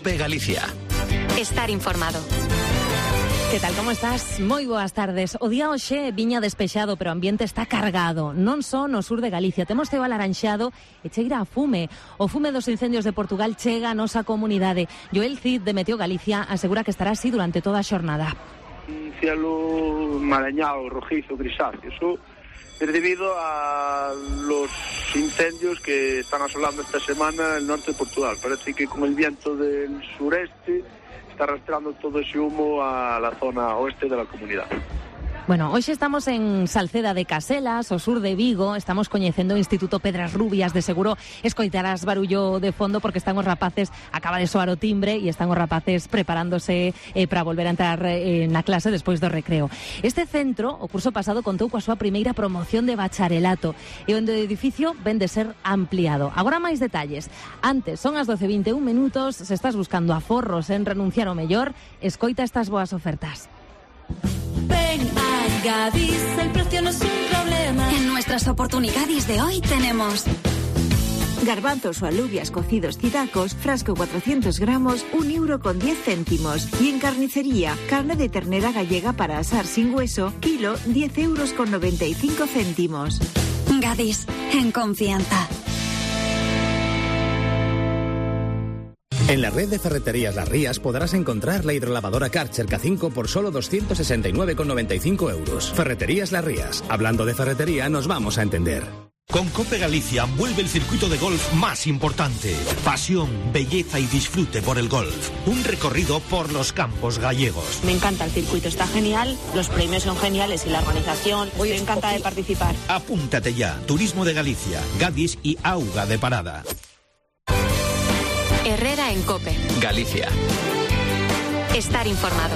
COPE Galicia. Estar informado. Que tal, como estás? Moi boas tardes. O día hoxe viña despexado, pero o ambiente está cargado. Non só no sur de Galicia. Temos ceo alaranxado e cheira a fume. O fume dos incendios de Portugal chega a nosa comunidade. Joel Cid, de Meteo Galicia, asegura que estará así durante toda a xornada. Un cielo marañado, rojizo, grisáceo. Eso es debido a los incendios que están asolando esta semana el norte de Portugal. Parece que con el viento del sureste está arrastrando todo ese humo a la zona oeste de la comunidad. Bueno, hoxe estamos en Salceda de Caselas, o sur de Vigo. Estamos coñecendo o Instituto Pedras Rubias. De seguro escoitarás barullo de fondo porque están os rapaces, acaba de soar o timbre e están os rapaces preparándose para volver a entrar na clase despois do recreo. Este centro, o curso pasado, contou coa súa primeira promoción de bacharelato e onde o edificio ven de ser ampliado. Agora máis detalles. Antes, son as 12:21 minutos. Se estás buscando aforros en renunciar ao mellor, escoita estas boas ofertas. Ven a Gadis, el precio no es un problema. En nuestras oportunidades de hoy tenemos garbanzos o alubias cocidos Cidacos, frasco 400 gramos, 1,10 €. Y en carnicería, carne de ternera gallega para asar sin hueso, kilo, 10,95 €. Gadis, en confianza. En la red de ferreterías Las Rías podrás encontrar la hidrolavadora Karcher K5 por solo 269,95 €. Ferreterías Las Rías. Hablando de ferretería, nos vamos a entender. Con COPE Galicia vuelve el circuito de golf más importante. Pasión, belleza y disfrute por el golf. Un recorrido por los campos gallegos. Me encanta el circuito, está genial, los premios son geniales y la organización, me encanta de participar. Apúntate ya. Turismo de Galicia, Gadis y Auga de Parada. Herrera en COPE Galicia. Estar informado.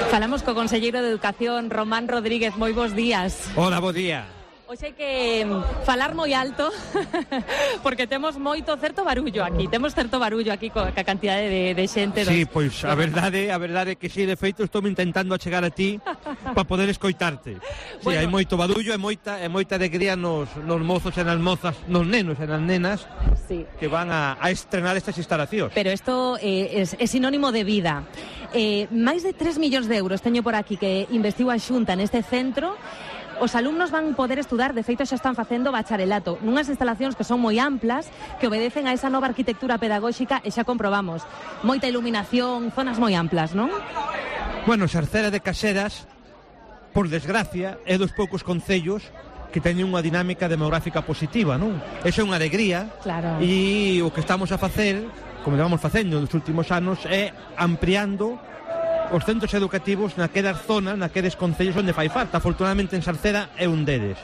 Falamos co conselleiro de Educación, Román Rodríguez. Moi bons días. Hola, bo día. Hoxe hai que falar moi alto porque temos moito certo barullo aquí. Temos certo barullo aquí coa cantidade de xente. Sí, pois a verdade é que si, de feito, estou intentando achegar a ti para poder escoitarte. Sí, hai moito barullo e moita alegría nos mozos e nas mozas, nos nenos e nas nenas, sí, que van a estrenar estas instalacións. Pero isto é sinónimo de vida. Máis de 3 millóns de euros teño por aquí que investiu a Xunta neste centro. Os alumnos van poder estudar, de feito xa están facendo bacharelato, nunhas instalacións que son moi amplas, que obedecen a esa nova arquitectura pedagóxica e xa comprobamos. Moita iluminación, zonas moi amplas, non? Bueno, Salceda de Caselas, por desgracia, é dos poucos concellos que teñen unha dinámica demográfica positiva, non? Esa é unha alegría. Claro. E o que estamos a facer, como vamos facendo nos últimos anos, é ampliando os centros educativos naquelas zonas, naqueles concellos onde fai falta. Afortunadamente en Salceda é un deles.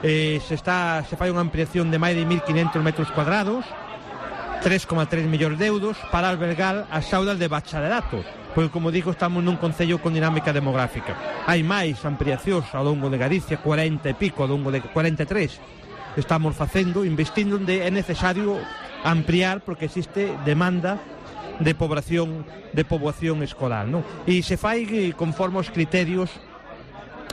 Se fai unha ampliación de máis de 1.500 metros cuadrados, 3,3 millóns de euros para albergar as aulas de bacharelato, porque, como digo, estamos nun concello con dinámica demográfica. Hai máis ampliacións ao longo de Galicia, 40 e pico, ao longo de 43 estamos facendo, investindo onde é necesario ampliar, porque existe demanda de poboación escolar, non? E se fai conforme os criterios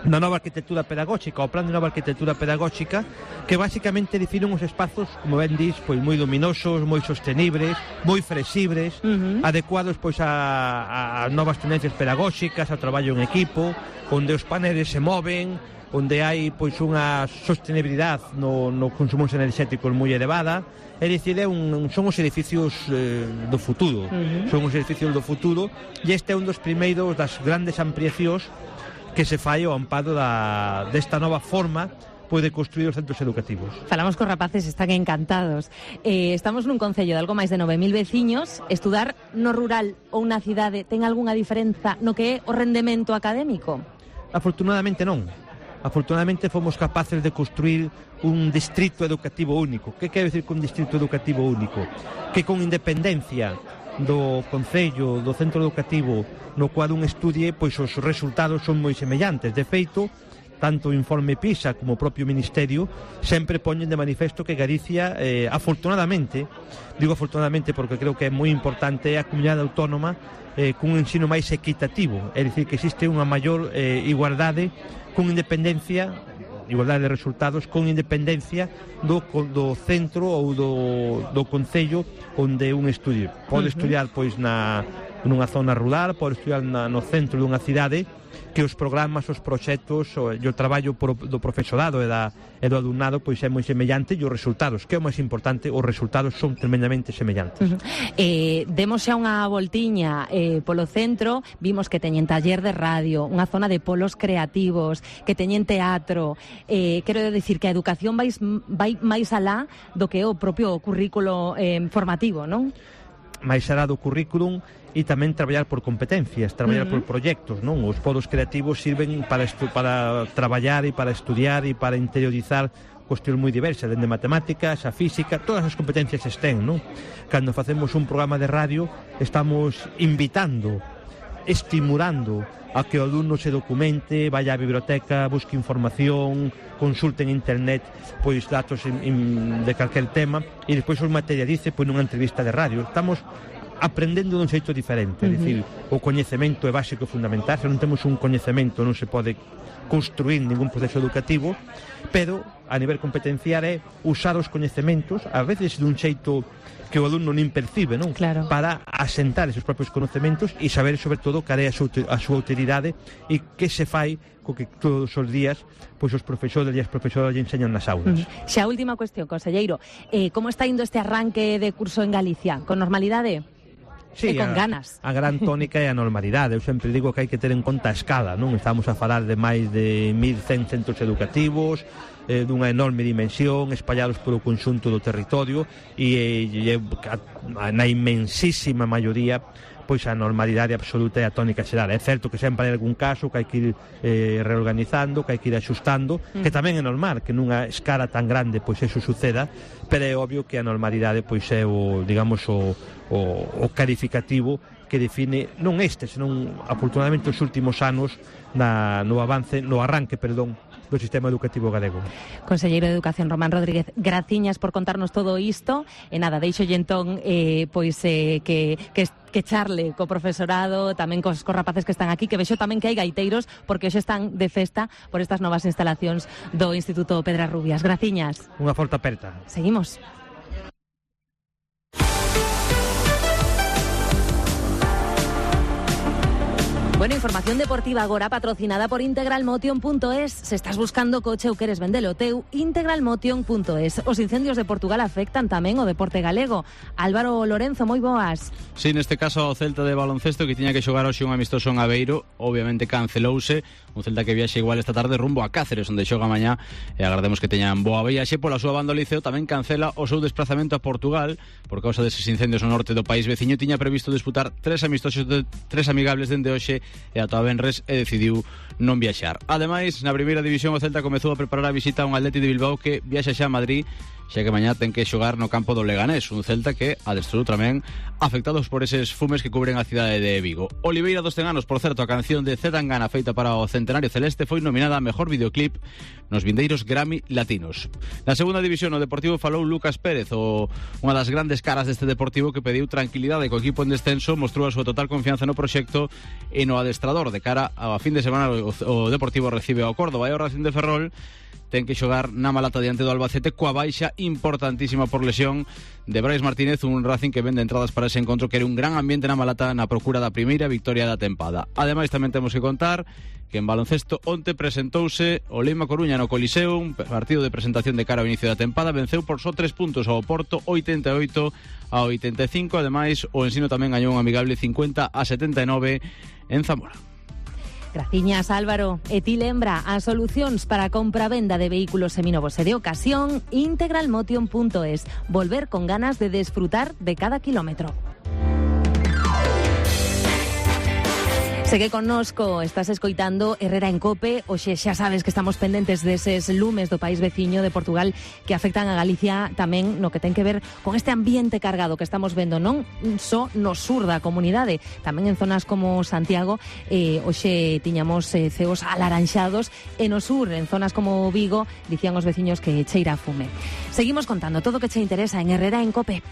da nova arquitectura pedagóxica, o plan de nova arquitectura pedagóxica, que basicamente definen uns espazos, como ben dis, pois moi luminosos, moi sostenibles, moi flexibles, adecuados pois a novas tendencias pedagóxicas, ao traballo en equipo, onde os paneles se moven, onde hai pois unha sostenibilidade no consumo enerxético moi elevada. É dicir, son os edificios do futuro, son os edificios do futuro, e este é un dos primeiros das grandes ampliacións que se fai ao amparo desta nova forma pois de construir os centros educativos. Falamos cos rapaces, están encantados. Estamos nun concello de algo máis de 9.000 veciños. Estudar no rural ou na cidade ten algunha diferenza no que é o rendemento académico? Afortunadamente non. Afortunadamente fomos capaces de construir un distrito educativo único. Que quero dicir con distrito educativo único? Que con independencia do concello, do centro educativo no cual un estudie, pois os resultados son moi semellantes. De feito, tanto o informe PISA como o propio Ministerio sempre poñen de manifesto que Galicia, afortunadamente, digo afortunadamente porque creo que é moi importante, é a comunidade autónoma cun ensino máis equitativo, é dicir, que existe unha maior igualdade con independencia igualdade de resultados con independencia do centro ou do concello onde un estudio. Pode estudiar pois nunha zona rural, pode estudiar no centro dunha cidade, que os programas, os proxectos e o traballo do profesorado e do alumnado pois é moi semellante, e os resultados, que é o máis importante, os resultados son tremendamente semellantes. Demos xa unha voltiña polo centro, vimos que teñen taller de radio, unha zona de polos creativos, que teñen teatro. Quero dicir que a educación vai máis alá do que o propio currículo formativo, non? Máis alá do currículum, e tamén traballar por competencias, traballar por proxectos, non? Os polos creativos sirven para traballar e para estudiar e para interiorizar cuestións moi diversas, dende matemáticas a física, todas as competencias estén, non? Cando facemos un programa de radio, estamos invitando, estimulando a que o alumno se documente, vaya á biblioteca, busque información, consulte en internet pois datos de calquer tema, e despois os materialice pois nunha entrevista de radio. Estamos aprendendo dun xeito diferente, é dicir, o coñecemento é básico e fundamental. Se non temos un coñecemento non se pode construir ningún proceso educativo, pero a nivel competencial é usar os coñecementos, a veces dun xeito que o alumno nin percibe, non? Claro. Para asentar esos propios coñecementos e saber, sobre todo, cal é a súa utilidade e que se fai co que todos os días pois os profesores e as profesoras lle enseñan nas aulas. Xa a última cuestión, conselleiro, como está indo este arranque de curso en Galicia? Con normalidade? Sí, con ganas. A gran tónica é a normalidade. Eu sempre digo que hai que ter en conta a escala, non? Estamos a falar de máis de 1.100 centros educativos, dunha enorme dimensión, espallados polo conxunto do territorio, e na inmensísima maioría pois a normalidade absoluta é a tónica xeral. É certo que sempre hai algún caso que hai que ir reorganizando, que hai que ir axustando, que tamén é normal que nunha escala tan grande pois eso suceda, pero é obvio que a normalidade pois é o, digamos, o calificativo que define non este, senón afortunadamente os últimos anos no arranque do sistema educativo galego. Conselleiro de Educación Román Rodríguez, graciñas por contarnos todo isto, e nada, deixo entón que charle co profesorado, tamén cos rapaces que están aquí, que vexo tamén que hai gaiteiros, porque hoxe están de festa por estas novas instalacións do Instituto Pedras Rubias. Graciñas. Unha forte aperta. Seguimos. Bueno, información deportiva agora patrocinada por integralmotion.es. Se estás buscando coche ou queres vendelo teu, integralmotion.es. Os incendios de Portugal afectan tamén o deporte galego. Álvaro Lorenzo, moi boas. Sí, neste caso o Celta de baloncesto, que tiña que xogar hoxe un amistoso en Aveiro, obviamente cancelouse. Un Celta que viaxe igual esta tarde rumbo a Cáceres, onde xoga mañá, e agardemos que teñan boa viaxe. Pola súa banda o Liceo tamén cancela o seu desplazamento a Portugal por causa deses incendios no norte do país veciño. Tiña previsto disputar 3 amistosos, 3 amigables dende hoxe e ata venres, e decidiu non viaxar. Ademais, na primeira división o Celta comezou a preparar a visita a un Atleti de Bilbao que viaxa xa a Madrid, xa que mañá ten que xogar no campo do Leganés, un Celta que adestrou tamén afectados por eses fumes que cubren a cidade de Vigo. Oliveira dos 100 anos, por certo, a canción de Zetangana feita para o Centenario Celeste foi nominada a Mejor Videoclip nos vindeiros Grammy Latinos. Na segunda división o Deportivo falou Lucas Pérez, unha das grandes caras deste Deportivo, que pediu tranquilidade co equipo en descenso, mostrou a súa total confianza no proxecto e no adestrador. De cara a fin de semana o Deportivo recibe ao Córdoba, e o Racing de Ferrol ten que xogar na Malata diante do Albacete coa baixa importantísima por lesión de Brais Martínez, un Racing que vende entradas para ese encontro, que era un gran ambiente na Malata na procura da primeira victoria da tempada. Ademais, tamén temos que contar que en baloncesto onte presentouse o Leima Coruña no Coliseo, un partido de presentación de cara ao inicio da tempada. Venceu por só 3 puntos ao Porto, 88-85. Ademais, o Ensino tamén gañou un amigable 50-79 en Zamora. Graciñas, Álvaro. E ti lembra as solucións para a compra-venda de vehículos seminovos e de ocasión, integralmotion.es. Volver con ganas de desfrutar de cada kilómetro. Segue connosco, estás escoitando Herrera en Cope. Oxe, xa sabes que estamos pendentes deses lumes do país veciño de Portugal que afectan a Galicia tamén no que ten que ver con este ambiente cargado que estamos vendo non só no sur da comunidade, tamén en zonas como Santiago. Oxe tiñamos ceos alaranxados, e no sur, en zonas como Vigo, dicían os veciños que cheira a fume. Seguimos contando todo o que che interesa en Herrera en Cope.